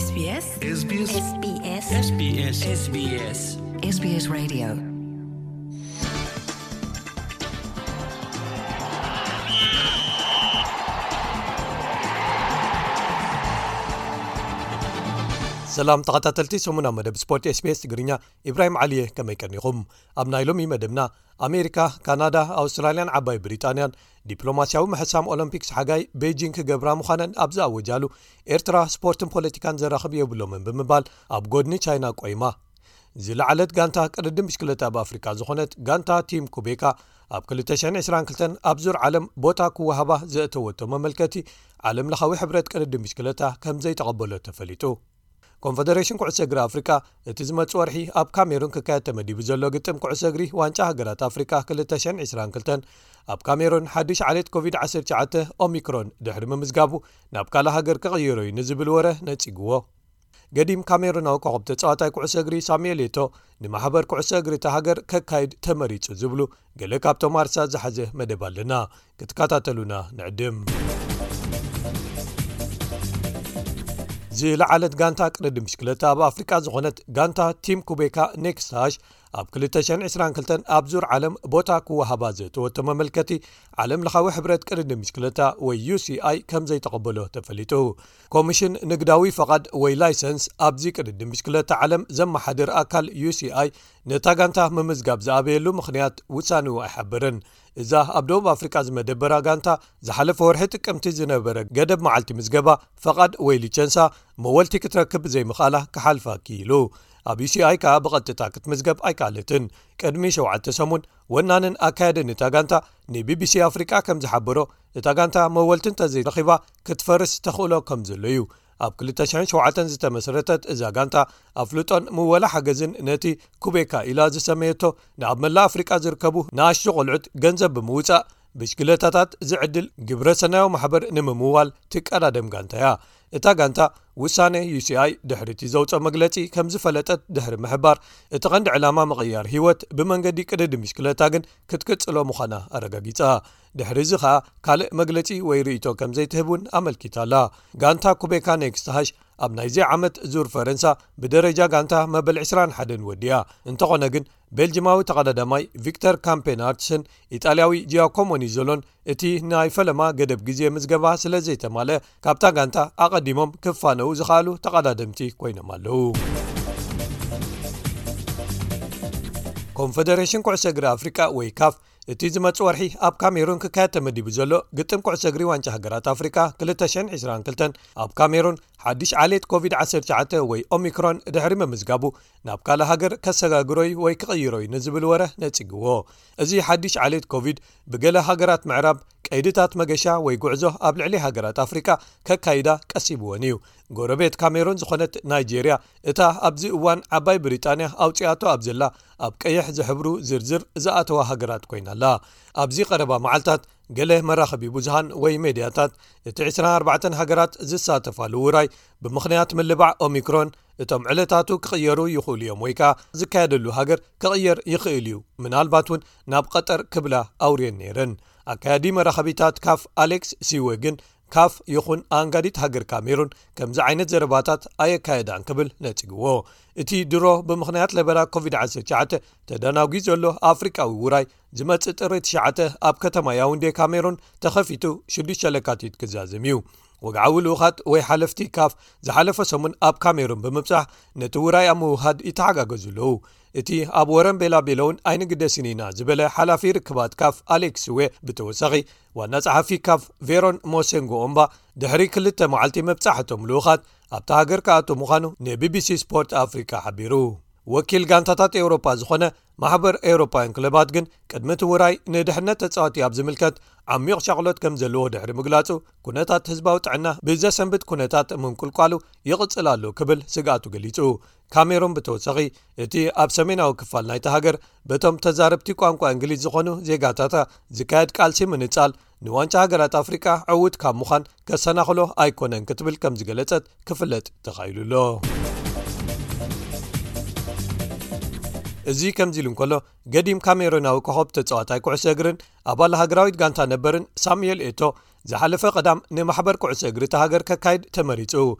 SBS SBS SBS SBS SBS SBS Radio. ሰላም ተኸታተልቲ ሰሙና መደብ ስፖርት SBS ትግርኛ፣ ኢብራሂም ዓሊየ፣ ከመይ ቀኒኹም? ኣብ ናይ ሎሚ መደብና፣ ኣሜሪካ፣ ካናዳ፣ ኣውስትራልያን ዓባይ ብሪጣንያን ዲፕሎማስያዊ ምሕሳም ኦሎምፒክስ ሓጋይ ቤጂንግ ክገብራ ምዃነን ኣብ ዝኣወጃሉ፣ ኤርትራ ስፖርትን ፖለቲካን ዘራኽብ የብሎምን ብምባል ኣብ ጎድኒ ቻይና ቆይማ። ዝለዓለት ጋንታ ቅድድም ብሽክለታ ኣብ ኣፍሪቃ ዝኾነት ጋንታ ቲም ኩቤካ፣ ኣብ ክልተ ሽሕን ዕስራን ክልተን ኣብ ዙር ዓለም ቦታ ክወሃባ ዘእተወቶ መመልከቲ፣ ዓለም ለኻዊ ሕብረት ቅድድም ብሽክለታ ከም ዘይተቐበሎ ተፈሊጡ። ኮንፈደሬሽን ኩዕሶ እግሪ ኣፍሪቃ፣ እቲ ዝመጽእ ወርሒ ኣብ ካሜሩን ክካየድ ተመዲቡ ዘሎ ግጥም ኩዕሶ እግሪ ዋንጫ ሃገራት ኣፍሪቃ ክልተ ሽሕን ዕስራን ክልተን፣ ኣብ ካሜሩን ሓድሽ ዓሌት ኮቪድ ዓሰርተ ትሽዓተ ኦሚክሮን ድሕሪ ምምዝጋቡ፣ ናብ ካልእ ሃገር ክቕይሮ እዩ ንዝብል ወረ ነጺግዎ። ገዲም ካሜሩናዊ ኮኸብ ተጻዋታይ ኩዕሶ እግሪ ሳሙኤል ኤቶ፣ ንማሕበር ኩዕሶ እግሪ እታ ሃገር ከካይድ ተመሪጹ ዝብሉ ገለ ካብቶም ኣርሳ ዝሓዘ መደብ ኣለና። ክትከታተሉና ንዕድም። ዝለዓለት ጋንታ ቅድድም ብሽክለታ ኣብ ኣፍሪቃ ዝኾነት ጋንታ ቲም ኩቤካ ኔክስታሽ፣ ኣብ ክልተ ሽሕን ዕስራን ክልተን ኣብ ዙር ዓለም ቦታ ክወሃባ ዘእተወቶ መመልከቲ፣ ዓለም ለኻዊ ሕብረት ቅድድም ብሽክለታ ወይ ዩ ሲ ኣይ ከም ዘይተቐበሎ ተፈሊጡ። ኮሚሽን ንግዳዊ ፈቓድ ወይ ላይሰንስ ኣብዚ ቅድድም ብሽክለታ ዓለም ዘመሓድር ኣካል ዩ ሲ ኣይ፣ ነታ ጋንታ ምምዝጋብ ዝኣበየሉ ምኽንያት ውሳኔኡ ኣይሓበረን። እዛ ኣብ ደቡብ ኣፍሪቃ ዝመደበራ ጋንታ፣ ዝሓለፈ ወርሒ ጥቅምቲ ዝነበረ ገደብ መዓልቲ ምዝገባ ፈቓድ ወይ ሊቸንሳ መወልቲ ክትረክብ ዘይምኽኣላ ክሓልፋ ክኢሉ። ኣብ ዩ ሲ ኣይ ከኣ ብቐጥታ ክትምዝገብ ኣይከኣለትን። ቅድሚ ሸውዓተ ሰሙን፣ ወናንን ኣካያድን እታ ጋንታ ን ቢ ቢ ሲ ኣፍሪቃ ከም ዝሓበሮ፣ እታ ጋንታ መወልቲ እንተዘይረኺባ ክትፈርስ ተኽእሎ ከም ዘሎ እዩ። ኣብ ክልተ ሽሕን ሸውዓተን ዝተመስረተት እዛ ጋንታ፣ ኣፍልጦን ምወላ ሓገዝን ነቲ ኩቤካ ኢላ ዝሰመየቶ፣ ንኣብ መላእ ኣፍሪቃ ዝርከቡ ንኣሽቱ ቆልዑት ገንዘብ ብምውጻእ፣ ብሽክለታታት ዝዕድል ግብረ ሰናያዊ ማሕበር ንምምዋል ትቀዳደም ጋንታ እያ። እታ ጋንታ፣ ውሳኔ ዩ ሲ ኣይ ድሕሪ እቲ ዘውጽኦ መግለጺ ከም ዝፈለጠት ድሕሪ ምሕባር፣ እቲ ቀንዲ ዕላማ ምቕያር ህይወት ብመንገዲ ቅድድም ብሽክለታ ግን ክትቅጽሎ ምዃና ኣረጋጊጻ። ድሕሪ እዚ ኸኣ ካልእ መግለጺ ወይ ርእይቶ ከም ዘይትህብ እውን ኣመልኪታ ኣላ። ጋንታ ኩቤካ ኔክስታሽ ኣብ ናይዚ ዓመት ዙር ፈረንሳ ብደረጃ ጋንታ መበል ዕስራን ሓደን ወዲያ። እንተኾነ ግን፣ ቤልጅማዊ ተቐዳዳማይ ቪክተር ካምፔናርትስን ኢጣልያዊ ጂያኮሞ ኒዞሎን እቲ ናይ ፈለማ ገደብ ግዜ ምዝገባ ስለ ዘይተማልአ፣ ካብታ ጋንታ ኣቐዲሞም ክፋነዉ ዝኸኣሉ ተቐዳደምቲ ኮይኖም ኣለዉ። ኮንፈደሬሽን ኩዕሶ እግሪ ኣፍሪቃ ወይ ካፍ፣ እቲ ዝመጽእ ወርሒ ኣብ ካሜሩን ክካየድ ተመዲቡ ዘሎ ግጥም ኩዕሶ እግሪ ዋንጫ ሃገራት ኣፍሪቃ ክልተ ሽሕን ዕስራን ክልተን፣ ኣብ ካሜሩን ሓድሽ ዓሌት ኮቪድ ዓሰርተ ትሽዓተ ወይ ኦሚክሮን ድሕሪ ምምዝጋቡ፣ ናብ ካልእ ሃገር ከሰጋግሮ እዩ ወይ ክቕይሮ እዩ ንዝብል ወረ ነጺግዎ። እዚ ሓድሽ ዓሌት ኮቪድ፣ ብገለ ሃገራት ምዕራብ ቀይድታት መገሻ ወይ ጉዕዞ ኣብ ልዕሊ ሃገራት ኣፍሪቃ ከካይዳ ቀሲብወን እዩ። ጎረቤት ካሜሩን ዝኾነት ናይጄርያ፣ እታ ኣብዚ እዋን ዓባይ ብሪጣንያ ኣውጺኣቶ ኣብ ዘላ ኣብ ቀይሕ ዝሕብሩ ዝርዝር ዝኣተዋ ሃገራት ኮይና ኣላ። ኣብዚ ቀረባ መዓልታት፣ ገለ መራኸቢ ብዙሃን ወይ ሜድያታት፣ እቲ ዕስራን ኣርባዕተን ሃገራት ዝሳተፋሉ ውራይ፣ ብምኽንያት ምልባዕ ኦሚክሮን፣ እቶም ዕለታቱ ክቕየሩ ይኽእሉ እዮም ወይ ከኣ ዝካየደሉ ሃገር ክቕየር ይኽእል እዩ፣ ምናልባት እውን ናብ ቀጠር ክብላ ኣውርየን ነይረን። ኣካያዲ መራኸቢታት ካፍ ኣሌክስ ሲወ ግን፣ ካፍ ይኹን ኣንጋዲት ሃገር ካሜሩን ከምዚ ዓይነት ዘረባታት ኣየካየዳን ክብል ነጺግዎ። እቲ ድሮ ብምኽንያት ለበዳ ኮቪድ ዓሰርተ ትሽዓተ ተደናጒ ዘሎ ኣፍሪቃዊ ውራይ፣ ዝመጽእ ጥሪ ትሽዓተ ኣብ ከተማ ያውንዴ ካሜሩን ተኸፊቱ ሽዱሽተ ለካቲት ክዛዘም እዩ። ወግዓዊ ልኡኻት ወይ ሓለፍቲ ካፍ ዝሓለፈ ሰሙን ኣብ ካሜሩን ብምብጻሕ፣ ነቲ ውራይ ኣብ ምውሃድ ይተሓጋገዙ ኣለዉ። እቲ ኣብ ወረን ቤላቤሎውን ኣይንግደስን ኢና ዝበለ ሓላፊ ርክባት ካፍ ኣሌክስ ዌ ብተወሳኺ፣ ዋና ጸሓፊ ካፍ ቬሮን ሞሴንጎ ኦምባ፣ ድሕሪ ክልተ መዓልቲ ምብጻሕ እቶም ልኡኻት ኣብታ ሃገር ክኣትዉ ምዃኑ ንቢቢሲ ስፖርት ኣፍሪካ ሓቢሩ። ወኪል ጋንታታት ኤውሮፓ ዝኾነ ማሕበር ኤውሮፓውያን ክለባት ግን፣ ቅድሚ እቲ ውራይ ንድሕነት ተጻወቲ ኣብ ዝምልከት ዓሚቕ ሻቕሎት ከም ዘለዎ ድሕሪ ምግላጹ፣ ኩነታት ህዝባዊ ጥዕና ብዘሰንብድ ኩነታት ምንቁልቋሉ ይቕጽል ኣሎ ክብል ስግኣቱ ገሊጹ። ካሜሩን ብተወሳኺ፣ እቲ ኣብ ሰሜናዊ ክፋል ናይታ ሃገር በቶም ተዛረብቲ ቋንቋ እንግሊዝ ዝኾኑ ዜጋታታ ዝካየድ ቃልሲ ምንጻል፣ ንዋንጫ ሃገራት ኣፍሪቃ ዕዉት ካብ ምዃን ከሰናኽሎ ኣይኮነን ክትብል ከም ዝገለጸት ክፍለጥ ተኻኢሉ ኣሎ። እዚ ከምዚ ኢሉ እንከሎ፣ ገዲም ካሜሩናዊ ኮኸብ ተጻዋታይ ኩዕሶ እግርን ኣባል ሃገራዊት ጋንታ ነበርን ሳሙኤል ኤቶ፣ ዝሓለፈ ቀዳም ንማሕበር ኩዕሶ እግሪ እታ ሃገር ከካይድ ተመሪጹ።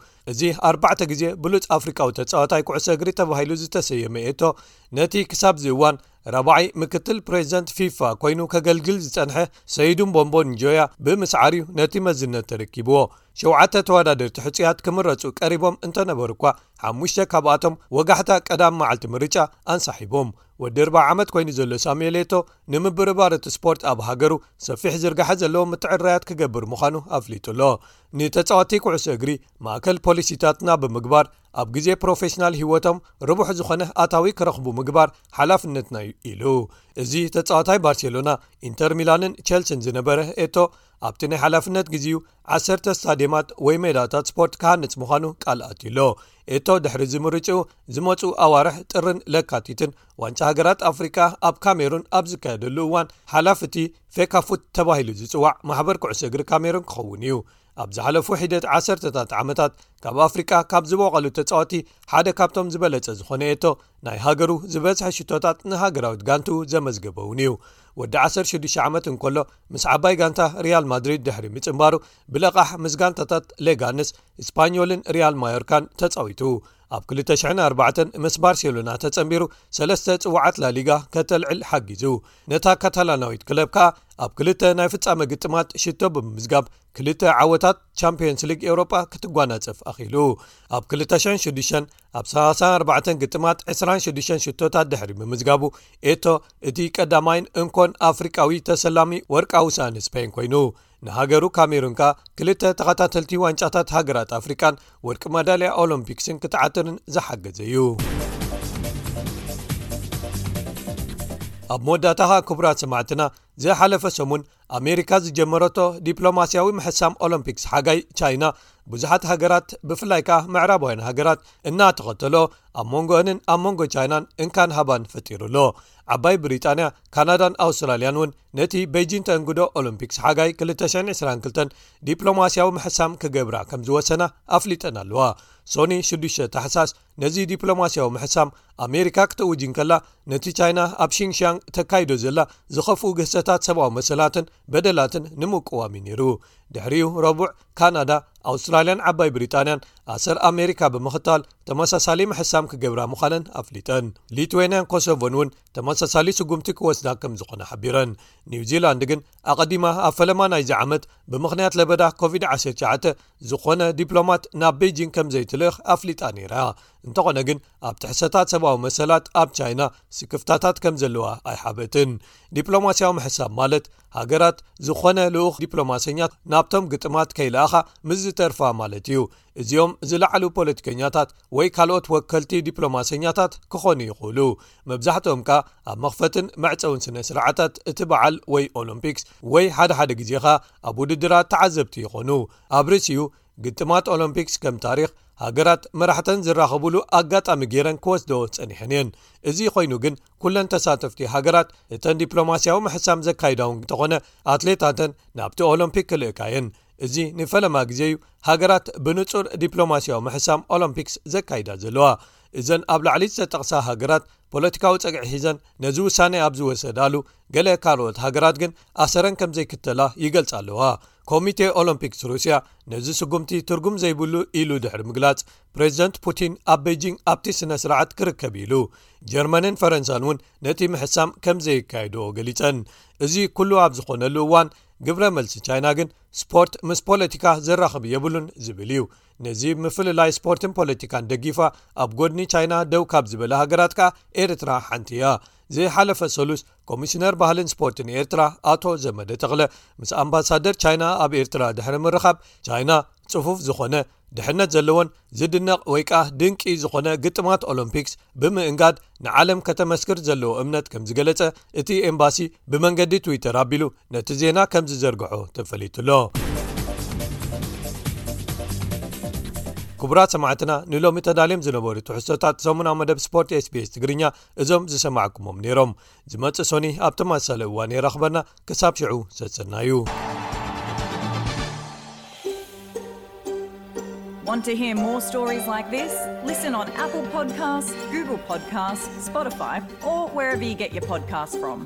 እዚ ኣርባዕተ ግዜ ብሉጽ ኣፍሪቃዊ ተጻዋታይ ኩዕሶ እግሪ ተባሂሉ ዝተሰየመ ኤቶ፣ ነቲ ክሳብ ዝእዋን ራብዓይ ምክትል ፕሬዚደንት ፊፋ ኮይኑ ከገልግል ዝጸንሐ ሰይዱን ቦምቦን ጆያ ብምስዓር እዩ ነቲ መዝነት ተረኪብዎ። ሸውዓተ ተወዳደርቲ ሕጹያት ክምረጹ ቀሪቦም እንተነበሩ እኳ፣ ሓሙሽተ ካብኣቶም ወጋሕታ ቀዳም መዓልቲ ምርጫ ኣንሳሒቦም። ወዲ ኣርብዓ ዓመት ኮይኑ ዘሎ ሳሙኤል ኤቶ፣ ንምብርባር እቲ ስፖርት ኣብ ሃገሩ ሰፊሕ ዝርጋሐ ዘለዎ ምትዕርራያት ክገብር ምዃኑ ኣፍሊጡ ኣሎ። ንተጻወትቲ ኩዕሶ እግሪ ማእከል ፖሊሲታትና ብምግባር፣ ኣብ ግዜ ፕሮፌሽናል ህይወቶም ርቡሕ ዝኾነ ኣታዊ ክረኽቡ ምግባር ሓላፍነትና እዩ ኢሉ። እዚ ተጻዋታይ ባርሴሎና፣ ኢንተር ሚላንን ቸልሲን ዝነበረ ኤቶ፣ ኣብቲ ናይ ሓላፍነት ግዜኡ ዓሰርተ ስታድየማት ወይ ሜዳታት ስፖርት ክሃንጽ ምዃኑ ቃል ኣትዩ ኣሎ። ኤቶ ድሕሪ እዚ ምርጭኡ ዝመጹ ኣዋርሕ ጥርን ለካቲትን ዋንጫ ሃገራት ኣፍሪቃ ኣብ ካሜሩን ኣብ ዝካየደሉ እዋን፣ ሓላፊ እቲ ፌካፉት ተባሂሉ ዝጽዋዕ ማሕበር ኩዕሶ እግሪ ካሜሩን ክኸውን እዩ። ኣብ ዝሓለፉ ሒደት ዓሰርተታት ዓመታት፣ ካብ ኣፍሪቃ ካብ ዝበቖሉ ተጻወቲ ሓደ ካብቶም ዝበለጸ ዝኾነ ኤቶ፣ ናይ ሃገሩ ዝበዝሐ ሽቶታት ንሃገራዊት ጋንቱ ዘመዝገበ እውን እዩ። ወዲ ዓሰርተ ሽዱሽተ ዓመት እንከሎ፣ ምስ ዓባይ ጋንታ ሪያል ማድሪድ ድሕሪ ምጽንባሩ፣ ብለቓሕ ምስ ጋንታታት ሌጋንስ፣ ስፓኞልን ሪያል ማዮርካን ተጻዊቱ። ኣብ ክልተ ሽሕን ኣርባዕተን ምስ ባርሴሎና ተጸንቢሩ፣ ሰለስተ ጽዋዓት ላሊጋ ከተልዕል ሓጊዙ። ነታ ካታላናዊት ክለብ ከኣ ኣብ ክልተ ናይ ፍጻመ ግጥማት ሽቶ ብምምዝጋብ፣ ክልተ ዓወታት ቻምፒዮንስ ሊግ ኤውሮጳ ክትጓናጸፍ ኣኽኢሉ። ኣብ ክልተ ሽሕን ሽዱሽተን ኣብ ሰላሳን ኣርባዕተን ግጥማት ዕስራን ሽዱሽተን ሽቶታት ድሕሪ ምምዝጋቡ፣ ኤቶ እቲ ቀዳማይን እንኮን ኣፍሪቃዊ ተሰላሚ ወርቃዊ ሳእኒ ስፔን ኮይኑ፣ ንሃገሩ ካሜሩን ከኣ ክልተ ተኸታተልቲ ዋንጫታት ሃገራት ኣፍሪቃን ወርቂ መዳልያ ኦሎምፒክስን ክትዓትርን ዝሓገዘ እዩ። ኣብ መወዳእታ ከኣ፣ ክቡራት ሰማዕትና፣ ዝሓለፈ ሰሙን ኣሜሪካ ዝጀመረቶ ዲፕሎማስያዊ ምሕሳም ኦሎምፒክስ ሓጋይ ቻይና፣ ብዙሓት ሃገራት፣ ብፍላይ ከኣ ምዕራባውያን ሃገራት፣ እናተኸተሎ፣ ኣብ መንጎአንን ኣብ መንጎ ቻይናን እንካን ሃባን ፈጢሩ ኣሎ። ዓባይ ብሪጣንያ፣ ካናዳን ኣውስትራልያን እውን ነቲ ቤጂን ተእንግዶ ኦሎምፒክስ ሓጋይ ክልተ ሽሕን ዕስራን ክልተን ዲፕሎማስያዊ ምሕሳም ክገብራ ከም ዝወሰና ኣፍሊጠን ኣለዋ። ሶኒ ሽዱሽተ ታሕሳስ ነዚ ዲፕሎማስያዊ ምሕሳም ኣሜሪካ ክትእውጅ እንከላ፣ ነቲ ቻይና ኣብ ሺንግሻንግ ተካይዶ ዘላ ዝኸፍኡ ግህሰታት ሰብኣዊ መሰላትን በደላትን ንምቅዋም እዩ ነይሩ። ድሕሪኡ ረቡዕ፣ ካናዳ፣ ኣውስትራልያን ዓባይ ብሪጣንያን ኣሰር ኣሜሪካ ብምኽታል ተመሳሳሊ ምሕሳም ክገብራ ምዃነን ኣፍሊጠን። ሊትዌንያን ኮሶቮን እውን ተመሳሳሊ ስጉምቲ ክወስዳ ከም ዝኾነ ሓቢረን። ኒውዚላንድ ግን ኣቐዲማ ኣብ ፈለማ ናይዚ ዓመት ብምኽንያት ለበዳ ኮቪድ ዓሰርተ ትሽዓተ ዝኾነ ዲፕሎማት ናብ ቤጂንግ ከም ዘይትልእኽ ኣፍሊጣ ነይራ። እንተኾነ ግን፣ ኣብ ጥሕሰታት ሰብኣዊ መሰላት ኣብ ቻይና ስክፍታታት ከም ዘለዋ ኣይሓበትን። ዲፕሎማስያዊ ምሕሳብ ማለት፣ ሃገራት ዝኾነ ልኡኽ ዲፕሎማሰኛ ናብቶም ግጥማት ከይለኣኻ ምስ ዝተርፋ ማለት እዩ። እዚኦም ዝለዓሉ ፖለቲከኛታት ወይ ካልኦት ወከልቲ ዲፕሎማሰኛታት ክኾኑ ይኽእሉ። መብዛሕትኦም ከኣ ኣብ መኽፈትን መዕጸውን ስነ ስርዓታት እቲ በዓል ወይ ኦሎምፒክስ ወይ ሓደ ሓደ ግዜ ኸኣ ኣብ ውድድራት ተዓዘብቲ ይኾኑ። ኣብ ርእሲኡ፣ ግጥማት ኦሎምፒክስ ከም ታሪኽ፣ ሃገራት መራሕተን ዝራኸቡሉ ኣጋጣሚ ገይረን ክወስዶ ጸኒሐን እየን። እዚ ኮይኑ ግን፣ ኩለን ተሳተፍቲ ሃገራት፣ እተን ዲፕሎማስያዊ ምሕሳም ዘካይዳ እውን እንተኾነ፣ ኣትሌታተን ናብቲ ኦሎምፒክ ክልእካ እየን። እዚ ንፈለማ ግዜ እዩ ሃገራት ብንጹር ዲፕሎማስያዊ ምሕሳም ኦሎምፒክስ ዘካይዳ ዘለዋ። እዘን ኣብ ላዕሊ ዝተጠቕሳ ሃገራት፣ ፖለቲካዊ ጸግዒ ሒዘን ነዚ ውሳኔ ኣብ ዝወሰዳሉ፣ ገለ ካልኦት ሃገራት ግን ኣሰረን ከም ዘይክተላ ይገልጻ ኣለዋ። ኮሚቴ ኦሎምፒክስ ሩስያ ነዚ ስጉምቲ ትርጉም ዘይብሉ ኢሉ ድሕሪ ምግላጽ፣ ፕሬዚደንት ፑቲን ኣብ ቤጂንግ ኣብቲ ስነ ስርዓት ክርከብ ኢሉ። ጀርመንን ፈረንሳን እውን ነቲ ምሕሳም ከም ዘየካየድኦ ገሊጸን። እዚ ኩሉ ኣብ ዝኾነሉ እዋን፣ ግብረ መልሲ ቻይና ግን ስፖርት ምስ ፖለቲካ ዘራኽብ የብሉን ዝብል እዩ። ነዚ ምፍልላይ ስፖርትን ፖለቲካን ደጊፋ ኣብ ጎድኒ ቻይና ደው ካብ ዝበላ ሃገራት ከኣ ኤርትራ ሓንቲ እያ። ዝሓለፈ ሰሉስ፣ ኮሚሽነር ባህልን ስፖርትን ኤርትራ ኣቶ ዘመደ ተኽለ ምስ ኣምባሳደር ቻይና ኣብ ኤርትራ ድሕሪ ምርኻብ፣ ቻይና ጽፉፍ ዝኾነ፣ ድሕነት ዘለዎን ዝድነቕ ወይ ከኣ ድንቂ ዝኾነ ግጥማት ኦሎምፒክስ ብምእንጋድ ንዓለም ከተመስክር ዘለዎ እምነት ከም ዝገለጸ እቲ ኤምባሲ ብመንገዲ ትዊተር ኣቢሉ ነቲ ዜና ከም ዝዘርግሖ ተፈሊጡ ኣሎ። ክቡራት ሰማዕትና፣ ንሎሚ ተዳልዮም ዝነበሩ ትሕዝቶታት ሰሙናዊ መደብ ስፖርት ኤስቢኤስ ትግርኛ እዞም ዝሰማዕኩሞም ነይሮም። ዝመጽእ ሶኒ ኣብ ተመሳሳሊ እዋን የራኽበና። ክሳብ ሽዑ ሰሰናዩ። Want to hear more stories like this? Listen on Apple Podcasts, Google Podcasts, Spotify, or wherever you get your podcasts from.